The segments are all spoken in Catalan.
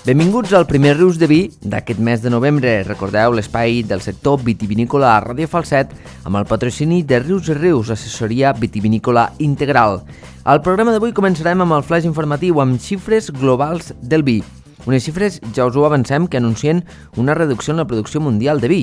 Benvinguts al primer Rius de Vi d'aquest mes de novembre. Recordeu l'espai del sector vitivinícola a Ràdio Falset amb el patrocini de Rius i Rius, assessoria vitivinícola integral. Al programa d'avui començarem amb el flash informatiu amb xifres globals del vi. Unes xifres, ja us ho avancem, que anuncien una reducció en la producció mundial de vi.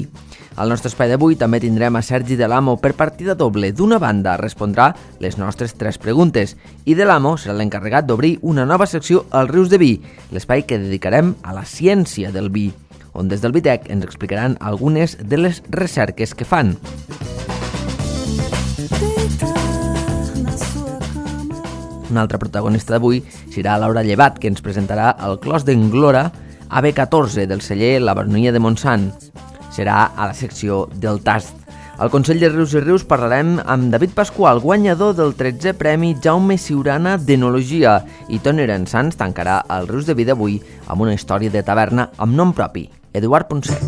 Al nostre espai d'avui també tindrem a Sergi de l'Amo per partida doble. D'una banda respondrà les nostres 3 preguntes i de l'Amo serà l'encarregat d'obrir una nova secció al Rius de Vi, l'espai que dedicarem a la ciència del vi, on des del Vitec ens explicaran algunes de les recerques que fan. Una altra protagonista d'avui serà Laura Llevat, que ens presentarà el Clos d'Englora AB14 del celler La Baronia de Montsant. Serà a la secció del tast. Al Consell de Rius i Rius parlarem amb David Pasqual, guanyador del 13è Premi Jaume Ciurana d'Enologia, i Toni Rensans tancarà el Rius de Vi d'avui amb una història de taverna amb nom propi, Eduard Ponset.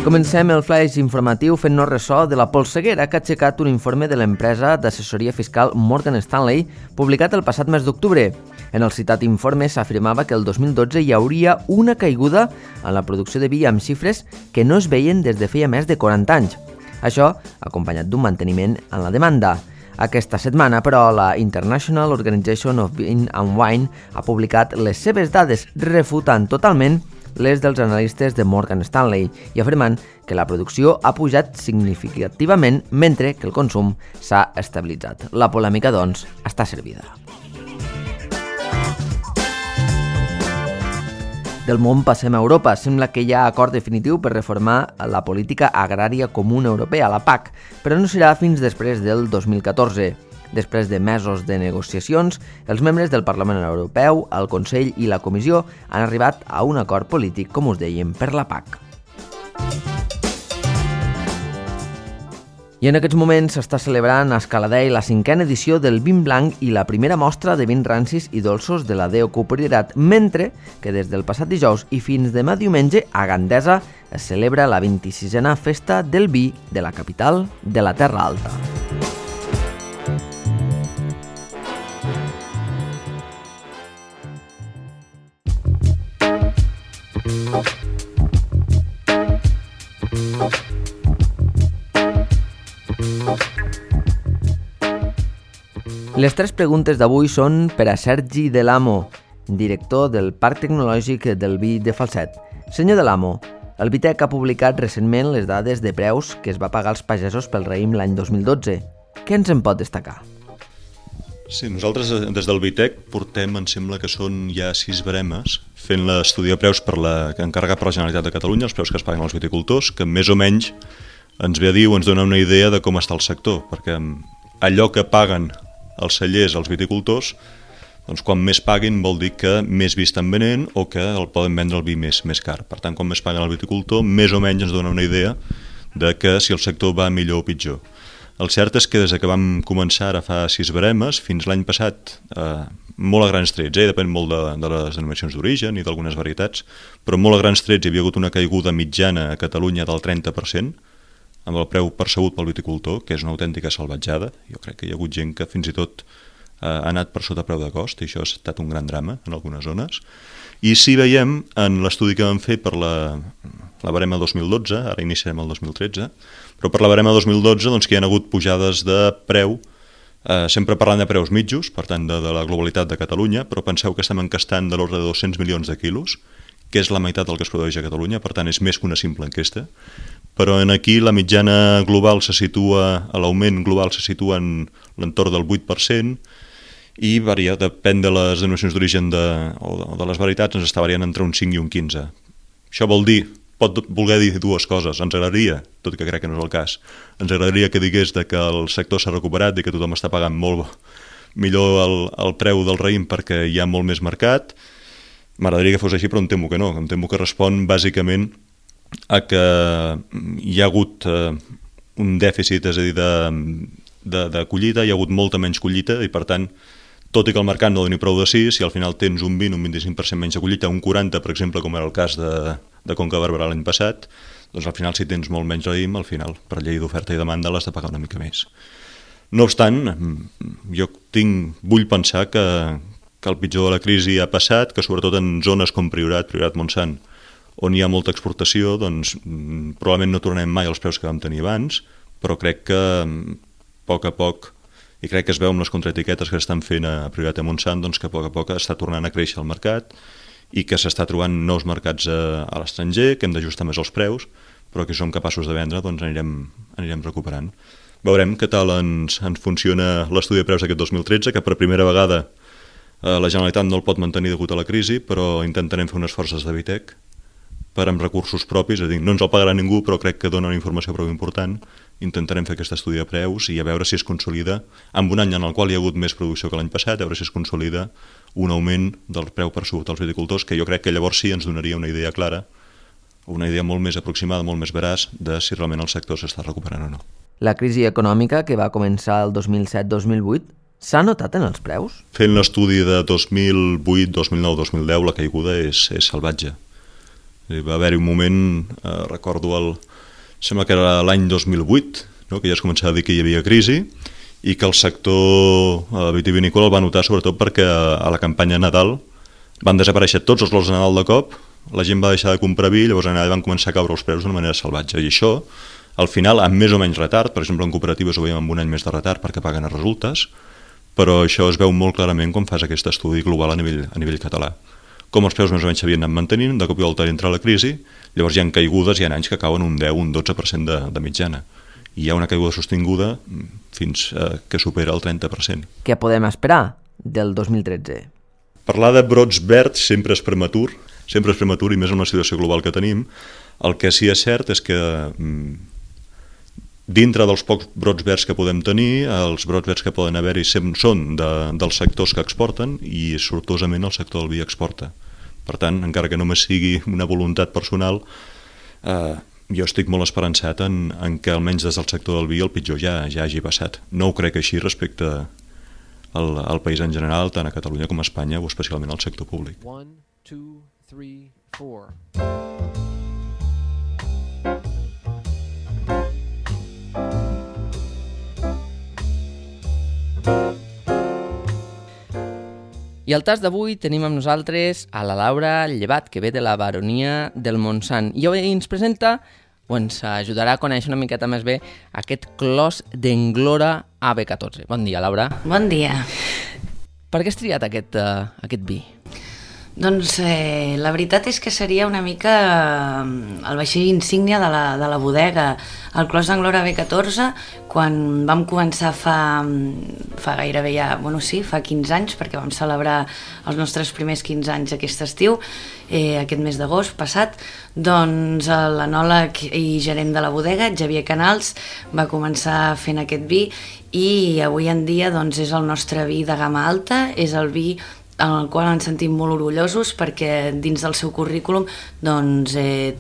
Comencem el flash informatiu fent-nos ressò de la polseguera que ha aixecat un informe de l'empresa d'assessoria fiscal Morgan Stanley publicat el passat mes d'octubre. En el citat informe s'afirmava que el 2012 hi hauria una caiguda en la producció de vi amb xifres que no es veien des de feia més de 40 anys. Això acompanyat d'un manteniment en la demanda. Aquesta setmana, però, la International Organization of Beer and Wine ha publicat les seves dades refutant totalment les dels analistes de Morgan Stanley i afirmant que la producció ha pujat significativament mentre que el consum s'ha estabilitzat. La polèmica, doncs, està servida. Del món passem a Europa. Sembla que hi ha acord definitiu per reformar la política agrària comuna europea, la PAC, però no serà fins després del 2014. Després de mesos de negociacions, els membres del Parlament Europeu, el Consell i la Comissió han arribat a un acord polític, com us dèiem, per la PAC. I en aquests moments s'està celebrant a Escaladei la 5a edició del Vin Blanc i la primera mostra de vins rancis i dolços de la Déu Priorat, mentre que des del passat dijous i fins demà diumenge a Gandesa es celebra la 26a Festa del Vi de la capital de la Terra Alta. Les 3 preguntes d'avui són per a Sergi de l'Amo, director del Parc Tecnològic del Vi de Falset. Senyor de l'Amo, el Vitec ha publicat recentment les dades de preus que es va pagar als pagesos pel raïm l'any 2012. Què ens en pot destacar? Sí, nosaltres des del Vitec portem, em sembla que són ja 6 baremes, fent l'estudi de preus encarregat per la Generalitat de Catalunya, els preus que es paguen als viticultors, que més o menys ens ve a dir o ens dona una idea de com està el sector, perquè allò que paguen els cellers, els viticultors, doncs quan més paguin vol dir que més vi estan venent o que el poden vendre el vi més car. Per tant, quan més paguen el viticultor, més o menys ens dona una idea de que si el sector va millor o pitjor. El cert és que des que vam començar ara fa 6 baremes, fins l'any passat, molt a grans trets, depèn molt de les denominacions d'origen i d'algunes varietats, però molt a grans trets hi havia hagut una caiguda mitjana a Catalunya del 30%, amb el preu percebut pel viticultor, que és una autèntica salvatjada. Jo crec que hi ha hagut gent que fins i tot ha anat per sota preu de cost, i això ha estat un gran drama en algunes zones. I si veiem en l'estudi que vam fer per la barema 2012, ara iniciarem el 2013, però per la barema 2012 doncs, que hi ha hagut pujades de preu, sempre parlant de preus mitjos, per tant de la globalitat de Catalunya, però penseu que estem encastant de l'ordre de 200 milions de quilos, que és la meitat del que es produeix a Catalunya, per tant és més que una simple enquesta, però aquí la mitjana global se situa, l'augment global se situa en l'entorn del 8%, i varia, depèn de les denominacions d'origen o de les varietats, ens està variant entre un 5 i un 15. Això vol dir, pot voler dir 2 coses. Ens agradaria, tot i que crec que no és el cas, ens agradaria que digués que el sector s'ha recuperat i que tothom està pagant molt millor el preu del raïm perquè hi ha molt més mercat. M'agradaria que fos així, però em temo que no. Em temo que respon bàsicament a que hi ha hagut un dèficit, és a dir, de collita, hi ha hagut molta menys collita i per tant, tot i que el mercat no doni prou de 6, si al final tens un 20 o un 25% menys de collita, un 40, per exemple, com era el cas de Conca de Barberà l'any passat, doncs al final si tens molt menys raïm, al final, per llei d'oferta i demanda, l'has de pagar una mica més. No obstant, jo vull pensar que el pitjor de la crisi ha passat, que sobretot en zones com Priorat Montsant, on hi ha molta exportació, doncs probablement no tornem mai als preus que vam tenir abans, però crec que a poc, i crec que es veu amb les contraetiquetes que estan fent a Priorat i Montsant, doncs que a poc està tornant a créixer el mercat i que s'està trobant nous mercats a l'estranger, que hem d'ajustar més els preus, però que som capaços de vendre, doncs anirem recuperant. Veurem què tal ens funciona l'estudi de preus aquest 2013, que per primera vegada la Generalitat no el pot mantenir degut a la crisi, però intentarem fer unes forces de Vitec per amb recursos propis, és a dir, no ens el pagarà ningú, però crec que dona una informació prou important. Intentarem fer aquest estudi de preus i a veure si es consolida, en un any en el qual hi ha hagut més producció que l'any passat, a veure si es consolida un augment del preu percebut als viticultors, que jo crec que llavors sí ens donaria una idea clara, una idea molt més aproximada, molt més veraç, de si realment el sector s'està recuperant o no. La crisi econòmica que va començar el 2007-2008 s'ha notat en els preus? Fent l'estudi de 2008, 2009, 2010, la caiguda és salvatge. Va haver-hi un moment, recordo sembla que era l'any 2008, no? Que ja es començava a dir que hi havia crisi i que el sector vitivinícola el va notar sobretot perquè a la campanya de Nadal van desaparèixer tots els lots de Nadal de cop, la gent va deixar de comprar vi, llavors allà van començar a caure els preus d'una manera salvatge. I això, al final, amb més o menys retard, per exemple en cooperatives ho veiem amb un any més de retard perquè paguen a resultes, però això es veu molt clarament quan fas aquest estudi global a nivell català. Com els preus més o menys s'havien anat mantenint, de cop i volta entra la crisi, llavors hi ha caigudes, hi ha anys que cauen un 10, un 12% de mitjana. I hi ha una caiguda sostinguda fins que supera el 30%. Què podem esperar del 2013? Parlar de brots verds sempre és prematur i més en la situació global que tenim. El que sí és cert és que dintre dels pocs brots verds que podem tenir, els brots verds que poden haver-hi són dels sectors que exporten i sortosament el sector del vi exporta. Per tant, encara que només sigui una voluntat personal, jo estic molt esperançat en que almenys des del sector del vi el pitjor ja hagi passat. No ho crec així respecte al país en general, tant a Catalunya com a Espanya o especialment al sector públic. 1, 2, 3, 4. I al tas d'avui tenim amb nosaltres a la Laura Llevat, que ve de la baronia del Montsant. I avui ens presenta, o ens ajudarà a conèixer una miqueta més bé, aquest clos d'Englora AB14. Bon dia, Laura. Bon dia. Per què has triat aquest vi? Doncs la veritat és que seria una mica el vaixell insígnia de la bodega, el Clos d'Englora B14, quan vam començar fa gairebé ja, fa 15 anys, perquè vam celebrar els nostres primers 15 anys aquest estiu, aquest mes d'agost passat, doncs l'enòleg i gerent de la bodega, Xavier Canals, va començar fent aquest vi i avui en dia doncs, és el nostre vi de gamma alta, és el vi en el qual ens sentim molt orgullosos perquè dins del seu currículum doncs,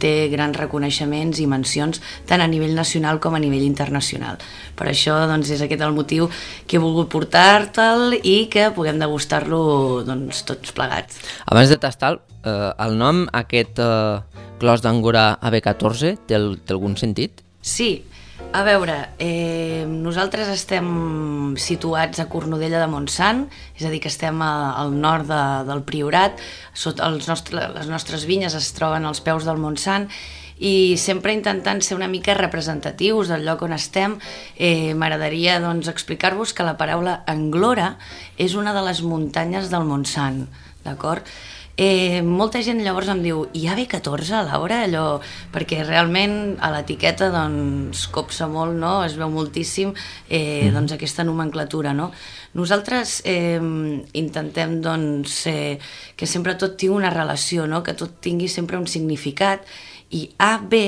té grans reconeixements i mencions tant a nivell nacional com a nivell internacional. Per això doncs, és aquest el motiu que he volgut portar-te'l i que puguem degustar-lo doncs, tots plegats. Abans de tastar el nom, aquest Clos d'Englora AB14, té algun sentit? Sí. A veure, nosaltres estem situats a Cornudella de Montsant, és a dir, que estem al nord del Priorat, les nostres vinyes es troben als peus del Montsant i sempre intentant ser una mica representatius del lloc on estem, m'agradaria doncs, explicar-vos que la paraula Englora és una de les muntanyes del Montsant, d'acord? Molta gent llavors em diu hi ha B14, Laura? Perquè realment a l'etiqueta doncs, copsa molt, no? Es veu moltíssim doncs, aquesta nomenclatura, no? Nosaltres intentem doncs, que sempre tot tingui una relació, no? Que tot tingui sempre un significat, i AB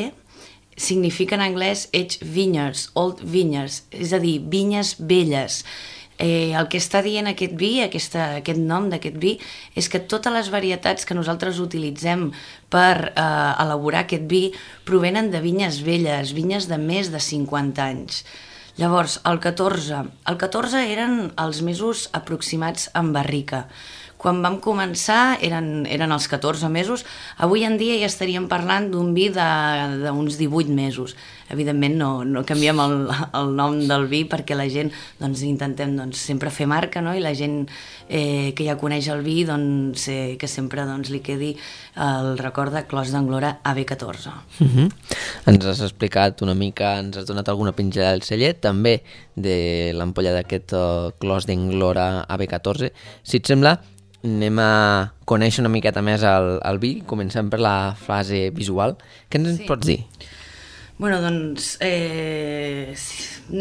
significa en anglès Age Vineyards, Old Vineyards, és a dir, vinyes velles. El que està dient aquest vi, aquest nom d'aquest vi, és que totes les varietats que nosaltres utilitzem per elaborar aquest vi provenen de vinyes velles, vinyes de més de 50 anys. Llavors, el 14 eren els mesos aproximats en barrica. Quan vam començar eren els 14 mesos, avui en dia ja estaríem parlant d'un vi d'uns 18 mesos. Evidentment no canviem el nom del vi perquè la gent intentem sempre fer marca, no? I la gent que ja coneix el vi que sempre li quedi el record de Clos d'Anglora AB14. Ens has explicat una mica, ens has donat alguna pinzellada del cellet, també de l'ampolla d'aquest Clos d'Anglora AB14. Si et sembla, anem a conèixer una miqueta més el vi. Comencem per la fase visual. Què ens pots dir? Bueno, anem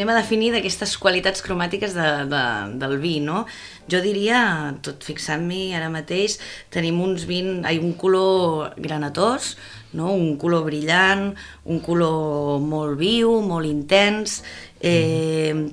a definir d'aquestes qualitats cromàtiques del vi, no? Jo diria, tot fixant-m'hi ara mateix, tenim un color granatós, no? Un color brillant, un color molt viu, molt intens,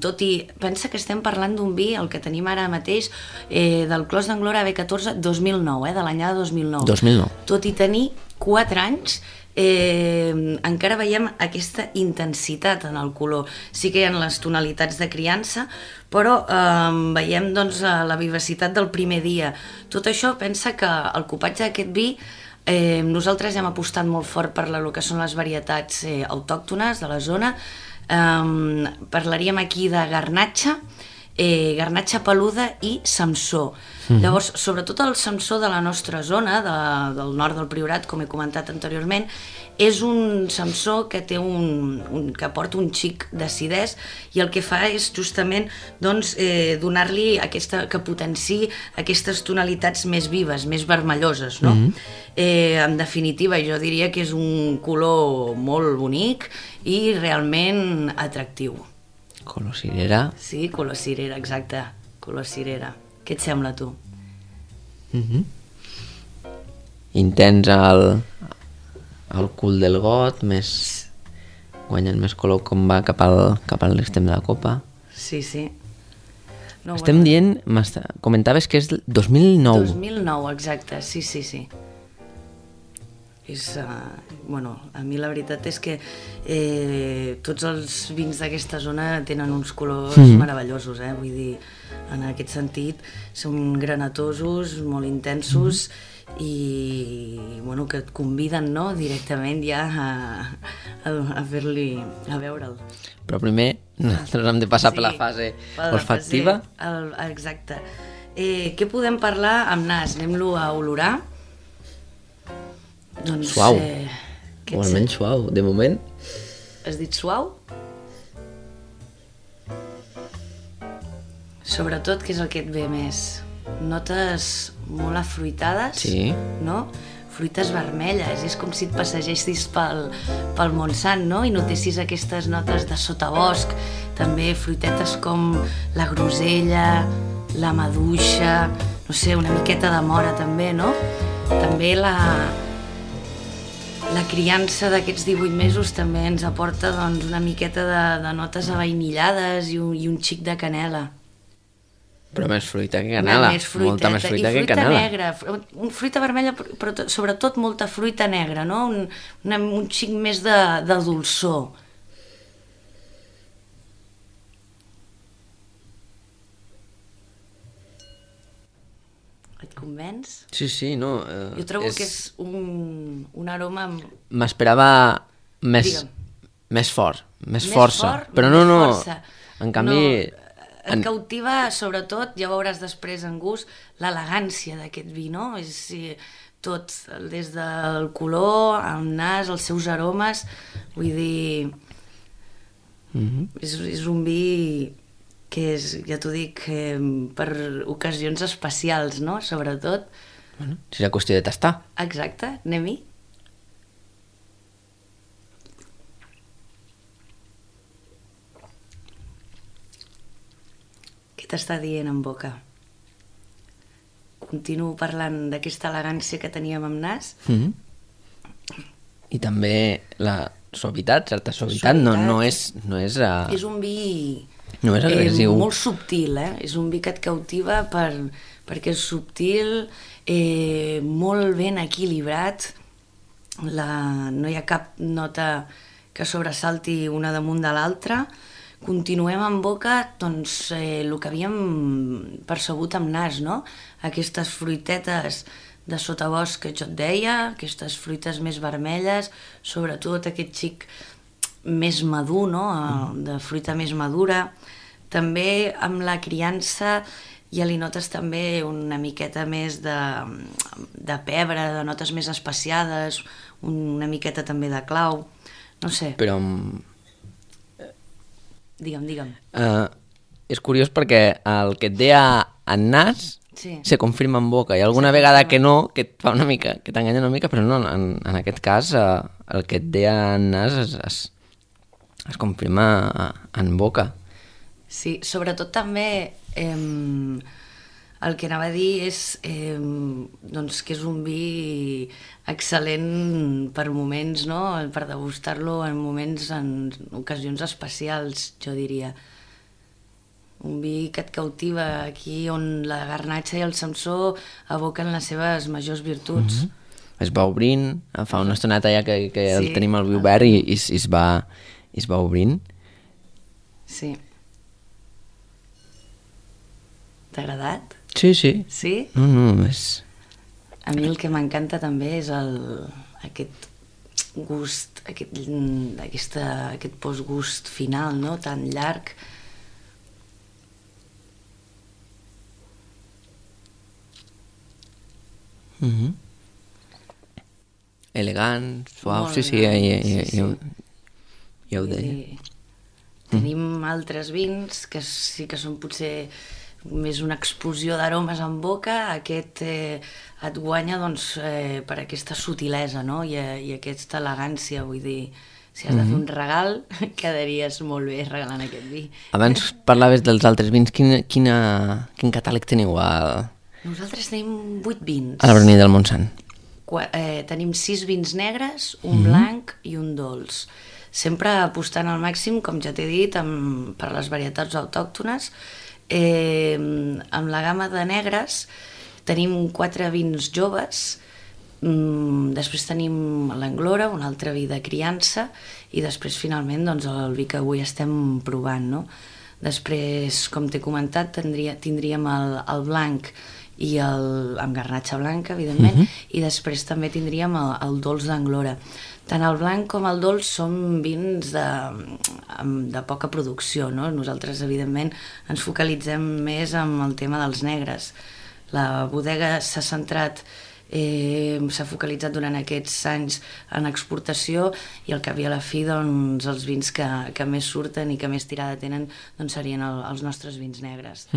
tot i, pensa que estem parlant d'un vi, el que tenim ara mateix, del Clos d'Anglora AB14 2009, de l'anyada 2009. 2009. Tot i tenir 4 anys, encara veiem aquesta intensitat en el color. Sí que hi ha les tonalitats de criança, però veiem la vivacitat del primer dia. Tot això pensa que el cupatge d'aquest vi, nosaltres hem apostat molt fort per el que són les varietats autòctones de la zona. Parlaríem aquí de garnatxa, garnatxa peluda i samsó. Llavors, sobretot el samsó de la nostra zona, del nord del Priorat, com he comentat anteriorment, és un samsó que té que aporta un xic d'acidès i el que fa és justament donar-li que potenciï aquestes tonalitats més vives, més vermelloses, no? En definitiva, jo diria que és un color molt bonic i realment atractiu. Color cirera. Sí, color cirera, exacte, color cirera. Què et sembla, tu? Intens el cul del got, guanyant més color com va cap a l'extrem de la copa. Sí. No, estem dient, comentaves que és del 2009. 2009, exacte, sí. A mi la veritat és que tots els vins d'aquesta zona tenen uns colors meravellosos, vull dir, en aquest sentit són granatosos, molt intensos i que et conviden directament ja a fer-li, a veure'l. Però primer nosaltres hem de passar per la fase olfactiva. Exacte. Què podem parlar amb nas? Anem-lo a olorar. Suau, o almenys suau, de moment. Has dit suau? Sobretot, què és el que et ve més? Notes molt afruitades, no? Fruites vermelles, és com si et passegessis pel Montsant, no? I notessis aquestes notes de sotabosc, també fruitetes com la grosella, la maduixa, no sé, una miqueta de mora també, no? També la criança d'aquests 18 mesos també ens aporta una miqueta de notes avainillades i un xic de canela. Però més fruita que canela, molta més fruita que canela. I fruita negra, fruita vermella, però sobretot molta fruita negra, no? Un xic més de dolçor. Et convenç? Sí, no. Jo trobo que és un aroma... M'esperava més fort, més força. Però no, en canvi... Et cautiva, sobretot, ja veuràs després en gust, l'elegància d'aquest vi, no? És tot, des del color, el nas, els seus aromes, vull dir... És un vi que és, ja t'ho dic, per ocasions especials, no? Sobretot. Serà qüestió de tastar. Exacte, anem-hi. T'està dient en boca. Continuo parlant d'aquesta elegància que teníem amb nas. I també la suavitat, certa suavitat. No és és un vi no és agressiu. Molt subtil, és un vi que et cautiva perquè és subtil, molt ben equilibrat, no hi ha cap nota que sobresalti una damunt de l'altra. continuem amb boca doncs, el que havíem percebut amb nas, no? Aquestes fruitetes de sotabosc que jo et deia, aquestes fruites més vermelles, sobretot aquest xic més madur, no? De fruita més madura. També amb la criança ja li notes també una miqueta més de pebre, de notes més especiades, una miqueta també de clau, no sé. Però Digue'm. és curiós perquè el que et deia en nas se confirma en boca. Hi ha alguna vegada que no, que et fa una mica, que t'enganya una mica, però no, en aquest cas el que et deia en nas es confirma en boca. Sí, sobretot també el que anava a dir és doncs que és un vi excel·lent per moments, no? Per degustar-lo en moments, en ocasions especials, jo diria. Un vi que et cautiva aquí on la garnatxa i el samsó evoquen les seves majors virtuts. Es va obrint, fa una estoneta ja que el tenim al vi obert i es va obrint. Sí. T'ha agradat? Sí. Sí? No, és... A mi el que m'encanta també és aquest gust, aquest postgust final, no? Tan llarg. Elegant, suau, Molt sí, elegant, ja ho deia. Tenim altres vins que sí que són potser més una explosió d'aromes en boca, aquest et guanya doncs, per aquesta sutilesa, no? I aquesta elegància, vull dir, si has de fer un regal, quedaries molt bé regalant aquest vi. Abans parlaves dels altres vins, quin catàleg teniu Nosaltres tenim 8 vins. a la Baronia del Montsant? Tenim 6 vins negres, un blanc i un dolç. Sempre apostant al màxim, com ja t'he dit, per les varietats autòctones. Amb la gamma de negres tenim 4 vins joves, després tenim l'Anglora, un altre vi de criança, i després finalment doncs, el vi que avui estem provant, no? Després, com t'he comentat, tindríem el blanc i amb garnatxa blanca, evidentment, i després també tindríem el dolç d'Anglora. Tant el blanc com el dolç són vins de poca producció, no? Nosaltres, evidentment, ens focalitzem més en el tema dels negres. La bodega s'ha centrat, s'ha focalitzat durant aquests anys en exportació i al cap i a la fi doncs, els vins que més surten i que més tirada tenen doncs, serien els nostres vins negres.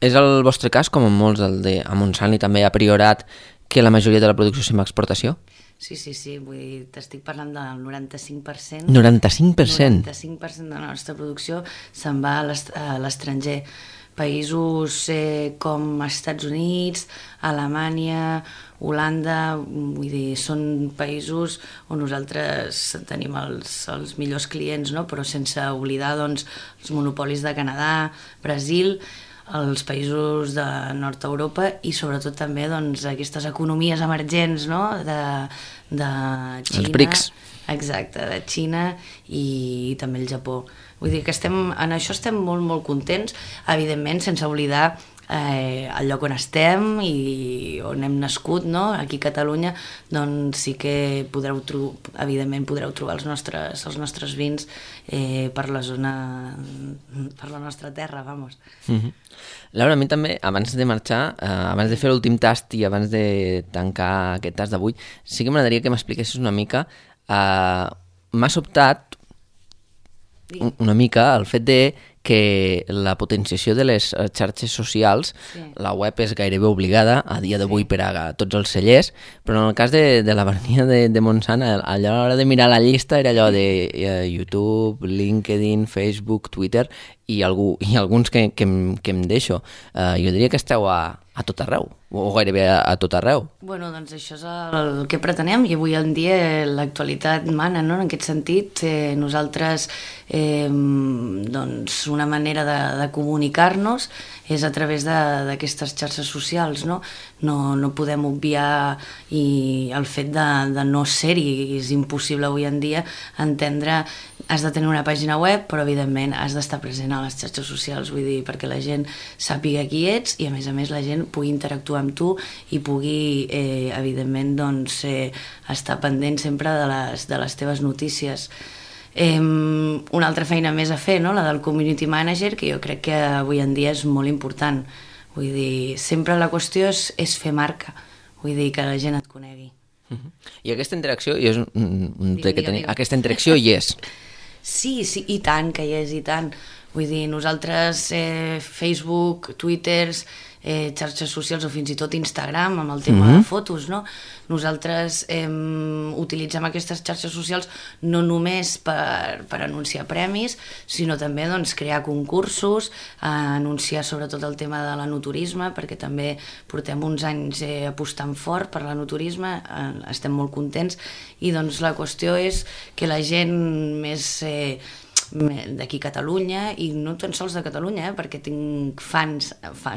És el vostre cas, com en molts, el de a Montsant i també a Priorat, que la majoria de la producció és en exportació? Sí, vull dir, t'estic parlant del 95%. 95%? 95% de la nostra producció se'n va a l'estranger. Països com Estats Units, Alemanya, Holanda, vull dir, són països on nosaltres tenim els millors clients, no? Però sense oblidar doncs, els monopolis de Canadà, Brasil, els països de Nord-Europa i sobretot també doncs, aquestes economies emergents, no? de Xina. Els BRICS. Exacte, de Xina i també el Japó. Vull dir que en això estem molt, molt contents, evidentment sense oblidar el lloc on estem i on hem nascut, no? Aquí a Catalunya, doncs sí que evidentment podreu trobar els nostres vins per la zona, per la nostra terra, vamos. Laura, a mi també, abans de marxar, abans de fer l'últim tast i abans de tancar aquest tast d'avui, sí que m'agradaria que m'expliquessis una mica, m'ha sobtat una mica el fet de que la potenciació de les xarxes socials, la web és gairebé obligada a dia d'avui per a tots els cellers, però en el cas de la Baronia de Montsant, a l'hora de mirar la llista era allò de YouTube, LinkedIn, Facebook, Twitter i alguns que em deixo. Jo diria que esteu a tot arreu, o gairebé a tot arreu. Bueno, doncs això és el que pretenem i avui en dia l'actualitat mana, no? En aquest sentit, nosaltres doncs una manera de comunicar-nos és a través d'aquestes xarxes socials, no? No podem obviar el fet de no ser-hi, és impossible avui en dia entendre has de tenir una pàgina web, però evidentment has d'estar present a les xarxes socials, vull dir, perquè la gent sàpiga qui ets i a més la gent pugui interactuar amb tu i pugui, evidentment, doncs, estar pendent sempre de les teves notícies. Una altra feina més a fer, no? La del community manager, que jo crec que avui en dia és molt important. Vull dir, sempre la qüestió és fer marca, vull dir, que la gent et conegui. I aquesta interacció, aquesta interacció hi és. Sí, i tant que hi és, i tant. Vull dir, nosaltres, Facebook, Twitter, xarxes socials o fins i tot Instagram amb el tema de fotos, no? Nosaltres utilitzem aquestes xarxes socials no només per anunciar premis, sinó també doncs, crear concursos, anunciar sobretot el tema de l'enoturisme, perquè també portem uns anys apostant fort per l'enoturisme, estem molt contents, i doncs la qüestió és que la gent més d'aquí a Catalunya, i no tan sols de Catalunya, perquè tinc fans,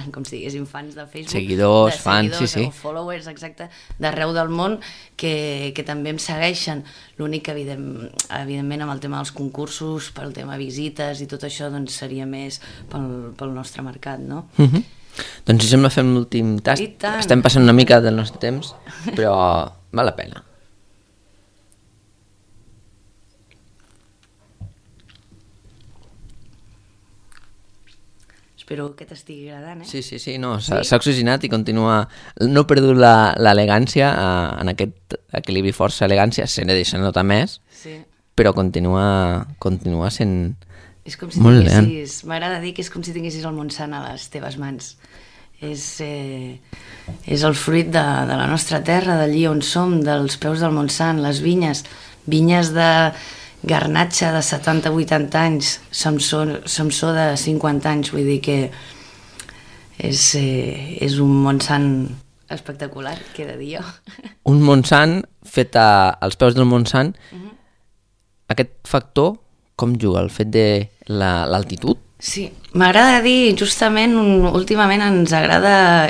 com si diguéssim, fans de Facebook, seguidors, fans, sí. O followers, exacte, d'arreu del món que també em segueixen. L'únic que evidentment amb el tema dels concursos, pel tema visites i tot això, doncs seria més pel nostre mercat, no? Doncs si sembla fem l'últim tast. Estem passant una mica del nostre temps, però val la pena. Espero que t'estigui agradant, Sí, no, s'ha oxigenat i continua... No he perdut l'elegància, en aquest equilibri força-elegància, se n'ha deixat notar més, però continua sent és com si tinguessis... M'agrada dir que és com si tinguessis el Montsant a les teves mans. És el fruit de la nostra terra, d'allí on som, dels peus del Montsant, les vinyes de garnatxa de 70-80 anys, Samsó de 50 anys, vull dir que és un Montsant espectacular, què he de dir jo. Un Montsant fet als peus del Montsant. Aquest factor, com juga? El fet de l'altitud? Sí, m'agrada dir, justament, últimament ens agrada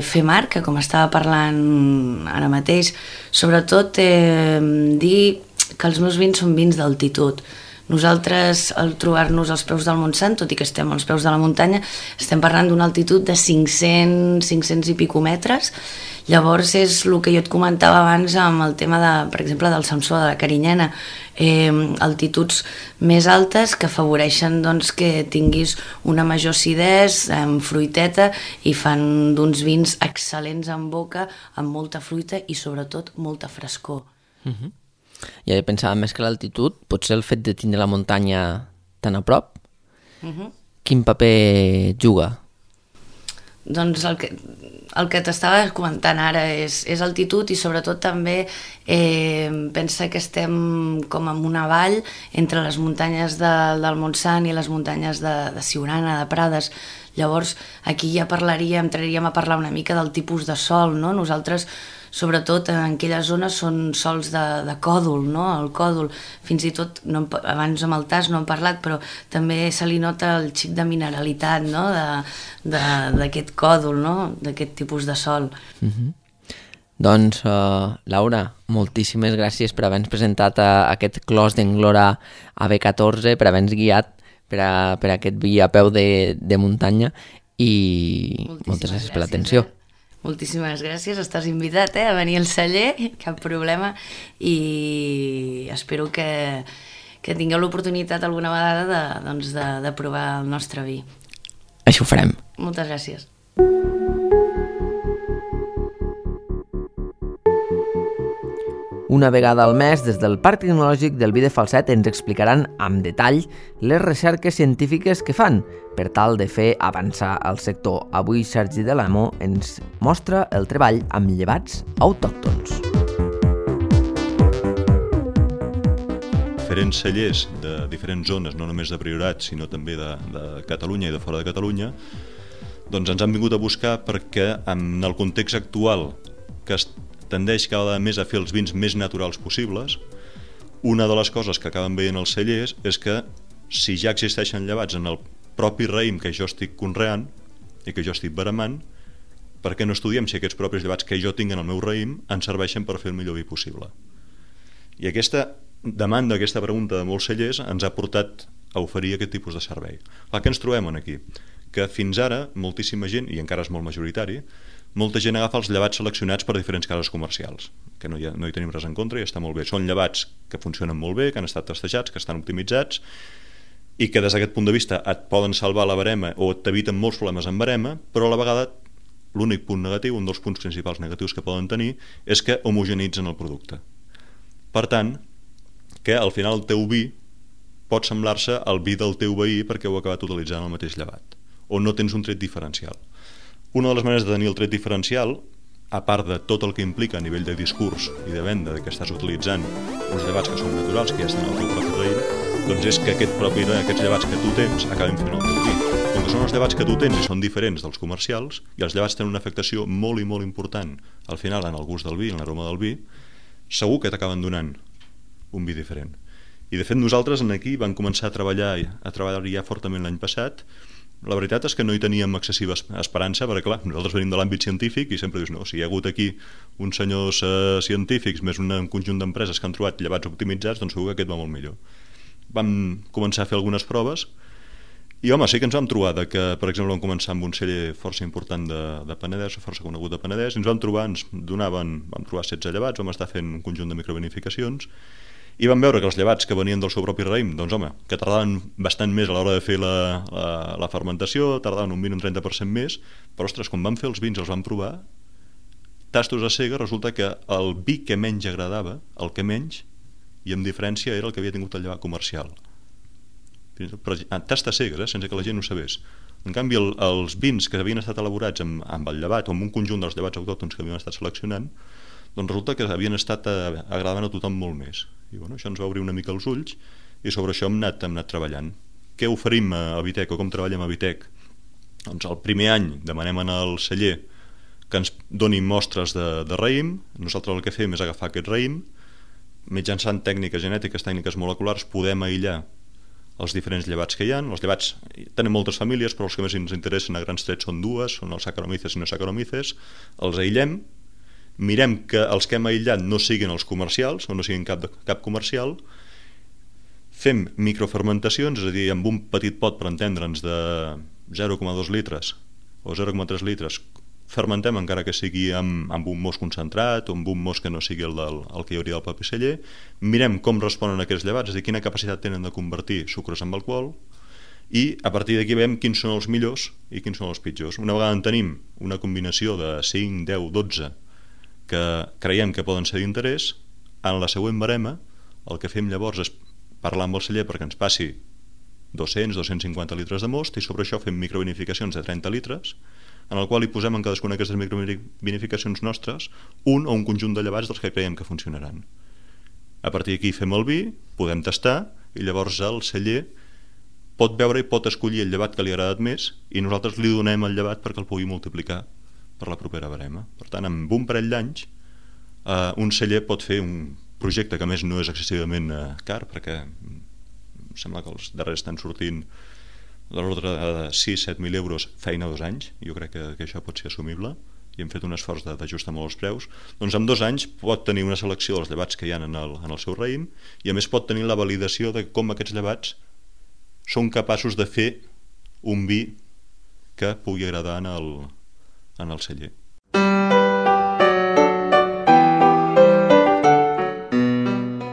fer marca, com estava parlant ara mateix, sobretot dir que els meus vins són vins d'altitud. Nosaltres, al trobar-nos als peus del Montsant, tot i que estem als peus de la muntanya, estem parlant d'una altitud de 500 i pico metres. Llavors és el que jo et comentava abans amb el tema, per exemple, del Samsó, de la Carinyena, altituds més altes que afavoreixen doncs, que tinguis una major acidesa, amb fruiteta, i fan d'uns vins excel·lents en boca, amb molta fruita i sobretot molta frescor. Ja he pensat més que l'altitud, potser el fet de tindre la muntanya tan a prop, quin paper juga? Doncs el que t'estava comentant ara és altitud, i sobretot també pensa que estem com en una vall entre les muntanyes del Montsant i les muntanyes de Siurana, de Prades. Llavors aquí ja entraríem a parlar una mica del tipus de sòl, no? Nosaltres sobretot en aquelles zones són sòls de còdol, no? El còdol, fins i tot, abans amb el tas no hem parlat, però també se li nota el xic de mineralitat, no? D'aquest còdol, no? D'aquest tipus de sòl. Doncs, Laura, moltíssimes gràcies per haver-nos presentat aquest Clos d'Englora AB14, per haver-nos guiat per aquest vi a peu de muntanya, i moltes gràcies per l'atenció. Moltíssimes gràcies, estàs invitat a venir al celler, cap problema, i espero que tingueu l'oportunitat alguna vegada de provar el nostre vi. Això ho farem. Moltes gràcies. Una vegada al mes, des del Parc Tecnològic del Vi de Falset ens explicaran amb detall les recerques científiques que fan per tal de fer avançar el sector. Avui Sergi Delamo ens mostra el treball amb llevats autòctons. Diferents cellers de diferents zones, no només de Priorat, sinó també de Catalunya i de fora de Catalunya, doncs ens han vingut a buscar perquè en el context actual, que tendeix cada vegada més a fer els vins més naturals possibles, una de les coses que acaben veient els cellers és que si ja existeixen llevats en el propi raïm que jo estic conreant i que jo estic veramant, per què no estudiem si aquests propis llevats que jo tinc en el meu raïm ens serveixen per fer el millor vi possible? I aquesta demanda aquesta pregunta de molts cellers ens ha portat a oferir aquest tipus de servei. Què ens trobem aquí? Que fins ara moltíssima gent, i encara és molt majoritari, molta gent agafa els llevats seleccionats per diferents cases comercials, que no hi tenim res en contra i està molt bé. Són llevats que funcionen molt bé, que han estat testejats, que estan optimitzats i que des d'aquest punt de vista et poden salvar la barema o t'eviten molts problemes amb barema, però a la vegada l'únic punt negatiu, un dels punts principals negatius que poden tenir, és que homogenitzen el producte. Per tant, que al final el teu vi pot semblar-se al vi del teu veí perquè ho ha acabat utilitzant el mateix llevat, o no tens un tret diferencial. Una de les maneres de tenir el tret diferencial, a part de tot el que implica a nivell de discurs i de venda de que estàs utilitzant uns llevats que són naturals, que ja estan al teu propi raïm, doncs és que aquests llevats que tu tens acabin fent el teu vi. Com que són els llevats que tu tens i són diferents dels comercials, i els llevats tenen una afectació molt i molt important al final en el gust del vi, en l'aroma del vi, segur que t'acaben donant un vi diferent. I de fet nosaltres aquí vam començar a treballar ja fortament l'any passat. La veritat és que no hi teníem excessiva esperança, perquè clar, nosaltres venim de l'àmbit científic i sempre dius, no, si hi ha hagut aquí uns senyors científics més un conjunt d'empreses que han trobat llevats optimitzats, doncs segur que aquest va molt millor. Vam començar a fer algunes proves i home, sí que ens vam trobar que, per exemple, vam començar amb un celler força important de Penedès, força conegut de Penedès, i vam trobar 16 llevats, vam estar fent un conjunt de microbeneficacions i vam veure que els llevats que venien del seu propi raïm, doncs home, que tardaven bastant més a l'hora de fer la fermentació, tardaven un 20 o un 30% més, però ostres, quan vam fer els vins i els vam provar, tastos a cega, resulta que el vi que menys agradava, el que menys, i amb diferència era el que havia tingut el llevat comercial. Però tastes cegues, sense que la gent ho sabés. En canvi, els vins que havien estat elaborats amb el llevat o amb un conjunt dels llevats autòctons que havien estat seleccionant, doncs resulta que havien estat agradant a tothom molt més. I bueno, això ens va obrir una mica els ulls i sobre això hem anat treballant. Què oferim a Vitec o com treballem a Vitec? Doncs el primer any demanem al celler que ens doni mostres de raïm. Nosaltres el que fem és agafar aquest raïm, mitjançant tècniques genètiques, tècniques moleculars, podem aïllar els diferents llevats que hi ha. Els llevats tenen moltes famílies, però els que més ens interessen a grans trets són dues, són els Saccharomyces i no Saccharomyces. Els aïllem, mirem que els que hem aïllat no siguin els comercials o no siguin cap comercial, fem microfermentacions, és a dir, amb un petit pot, per entendre'ns, de 0,2 litres o 0,3 litres, fermentem encara que sigui amb un most concentrat o amb un most que no sigui el que hi hauria del propi celler, mirem com responen aquests llevats, és a dir, quina capacitat tenen de convertir sucres en alcohol, i a partir d'aquí veiem quins són els millors i quins són els pitjors. Una vegada en tenim una combinació de 5, 10, 12 que creiem que poden ser d'interès, en la següent barema el que fem llavors és parlar amb el celler perquè ens passi 200-250 litres de most i sobre això fem microvinificacions de 30 litres en el qual hi posem en cadascuna d'aquestes microvinificacions nostres un o un conjunt de llevats dels que creiem que funcionaran. A partir d'aquí fem el vi, podem tastar i llavors el celler pot veure i pot escollir el llevat que li ha agradat més i nosaltres li donem el llevat perquè el pugui multiplicar per la propera barema. Per tant, amb un parell d'anys un celler pot fer un projecte que a més no és excessivament car perquè sembla que els darrers estan sortint de l'ordre de 6-7.000 euros feina 2 anys. Jo crec que això pot ser assumible i hem fet un esforç d'ajustar molt els preus. Doncs en 2 anys pot tenir una selecció dels llevats que hi ha en el seu raïm i a més pot tenir la validació de com aquests llevats són capaços de fer un vi que pugui agradar en el celler.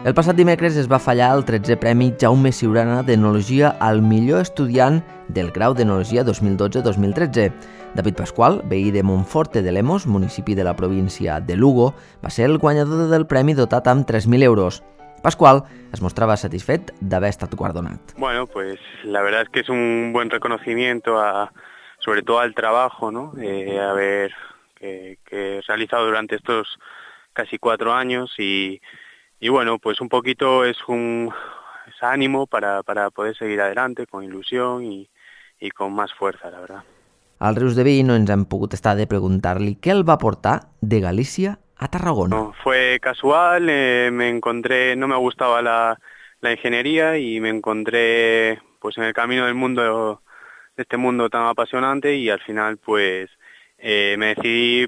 El passat dimecres es va fallar el 13è Premi Jaume Siurana d'Enologia al millor estudiant del grau d'Enologia 2012-2013. David Pasqual, veí de Monforte de Lemos, municipi de la província de Lugo, va ser el guanyador del premi dotat amb 3.000 euros. Pascual es mostraba satisfecho de haber estado guardonat. Bueno, pues la verdad es que es un buen reconocimiento sobre todo al trabajo, ¿no? Que he realizado durante estos casi 4 años y bueno, pues un poquito es ánimo para poder seguir adelante con ilusión y con más fuerza, la verdad. Al Rius de Vi no ens hem pogut estar de preguntar-li què el va portar de Galícia a Tarragona. No, fue casual, me encontré, no me gustaba la ingeniería y me encontré pues en el camino de este mundo tan apasionante y al final pues me decidí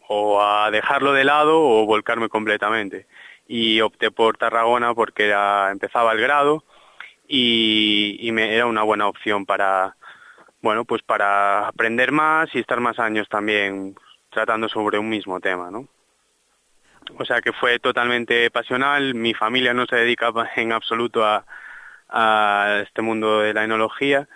o a dejarlo de lado o volcarme completamente. y opté por Tarragona porque empezaba el grado y era una buena opción para aprender más y estar más años también tratando sobre un mismo tema, ¿no? O sea que fue totalmente pasional. Mi familia no se dedica en absoluto a este mundo de la enología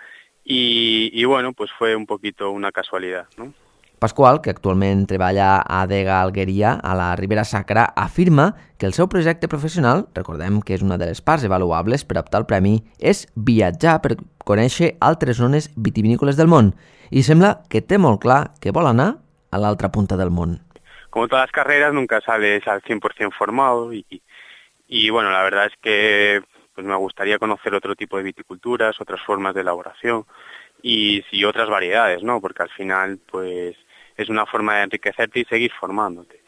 y bueno, pues fue un poquito una casualidad, ¿no? Pasqual, que actualment treballa a Adega Algueria, a la Ribera Sacra, afirma que el seu projecte professional, recordem que és una de les parts avaluables per optar al premi, és viatjar per conèixer altres zones vitivinícoles del món. I sembla que té molt clar que vol anar a l'altra punta del món. Como todas las carreras, nunca sales al 100% formado y bueno, la verdad es que pues me gustaría conocer otro tipo de viticulturas, otras formas de elaboración y otras variedades, ¿no? Porque al final, pues, es una forma de enriquecerte y seguir formándote.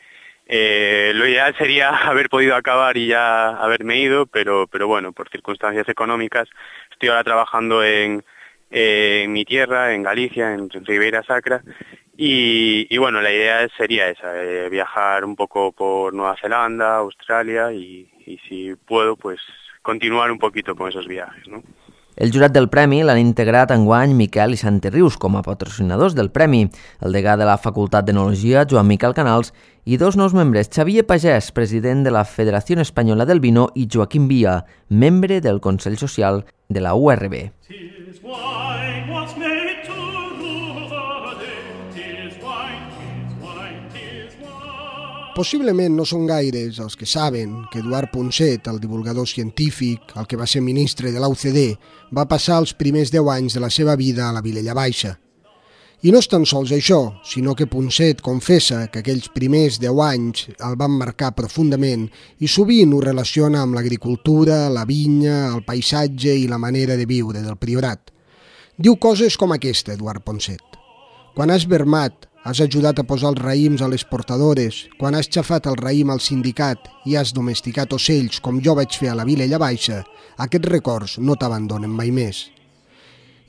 Lo ideal sería haber podido acabar y ya haberme ido, pero bueno, por circunstancias económicas estoy ahora trabajando en mi tierra, en Galicia, en Ribeira Sacra, y bueno, la idea sería esa, viajar un poco por Nueva Zelanda, Australia y si puedo, pues continuar un poquito con esos viajes, ¿no? El jurat del premi l'han integrat enguany Miquel i Santerrius com a patrocinadors del premi, el degà de la Facultat d'Enologia, Joan Miquel Canals, i dos nous membres, Xavier Pagès, president de la Federació Espanyola del Vino, i Joaquim Via, membre del Consell Social de la URB. Possiblement no són gaires els que saben que Eduard Ponset, el divulgador científic, el que va ser ministre de l'UCD, va passar els primers 10 anys de la seva vida a la Vilella Baixa. I no és tan sols això, sinó que Ponset confessa que aquells primers 10 anys el van marcar profundament i sovint ho relaciona amb l'agricultura, la vinya, el paisatge i la manera de viure del Priorat. Diu coses com aquesta, Eduard Ponset. Quan has vermat, has ajudat a posar els raïms a les portadores, quan has xafat el raïm al sindicat i has domesticat ocells com jo vaig fer a la Vilella Baixa, aquests records no t'abandonen mai més.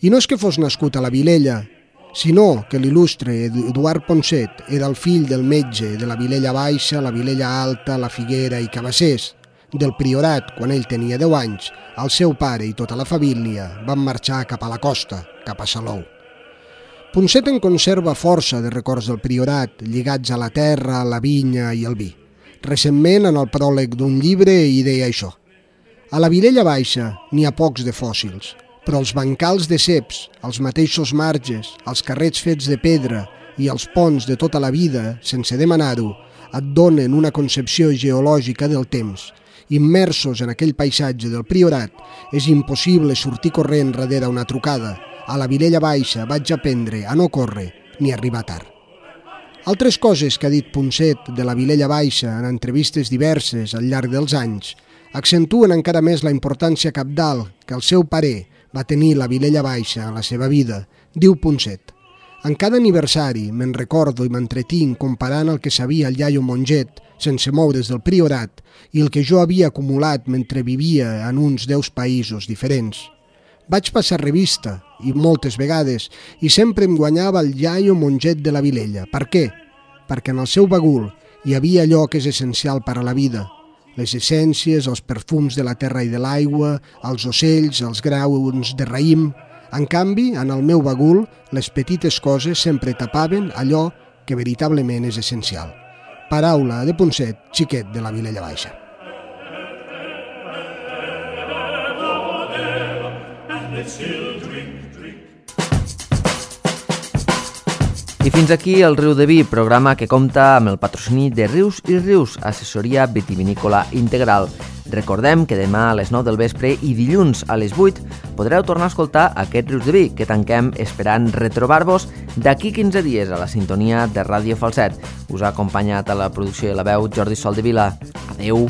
I no és que fos nascut a la Vilella, sinó que l'il·lustre Eduard Ponset era el fill del metge de la Vilella Baixa, la Vilella Alta, la Figuera i Cabassers. Del Priorat, quan ell tenia 10 anys, el seu pare i tota la família van marxar cap a la costa, cap a Salou. Ponset en conserva força de records del Priorat, lligats a la terra, la vinya i el vi. Recentment, en el pròleg d'un llibre, hi deia això. A la Vilella Baixa n'hi ha pocs de fòssils, però els bancals de ceps, els mateixos marges, els carrets fets de pedra i els ponts de tota la vida, sense demanar-ho, et donen una concepció geològica del temps. Immersos en aquell paisatge del Priorat, és impossible sortir corrent darrere una trucada. A la Vilella Baixa vaig aprendre a no córrer ni arribar tard. Altres coses que ha dit Ponset de la Vilella Baixa en entrevistes diverses al llarg dels anys accentuen encara més la importància cabdal que el seu pare va tenir la Vilella Baixa en la seva vida, diu Ponset. En cada aniversari me'n recordo i m'entretinc comparant el que sabia el iaio Monget sense moure's del Priorat i el que jo havia acumulat mentre vivia en uns 10 països diferents. Vaig passar revista, i moltes vegades, i sempre em guanyava el iaio Monget de la Vilella. Per què? Perquè en el seu bagul hi havia allò que és essencial per a la vida. Les essències, els perfums de la terra i de l'aigua, els ocells, els graons de raïm. En canvi, en el meu bagul, les petites coses sempre tapaven allò que veritablement és essencial. Paraula de Ponset, xiquet de la Vilella Baixa. I fins aquí el Riu de Vi, programa que compta amb el patrocini de Rius i Rius, assessoria vitivinícola integral. Recordem que demà a les 9 del vespre i dilluns a les 8 podreu tornar a escoltar aquest Rius de Vi, que tanquem esperant retrobar-vos d'aquí 15 dies a la sintonia de Ràdio Falset. Us ha acompanyat a la producció i la veu Jordi Soldevila. Adeu!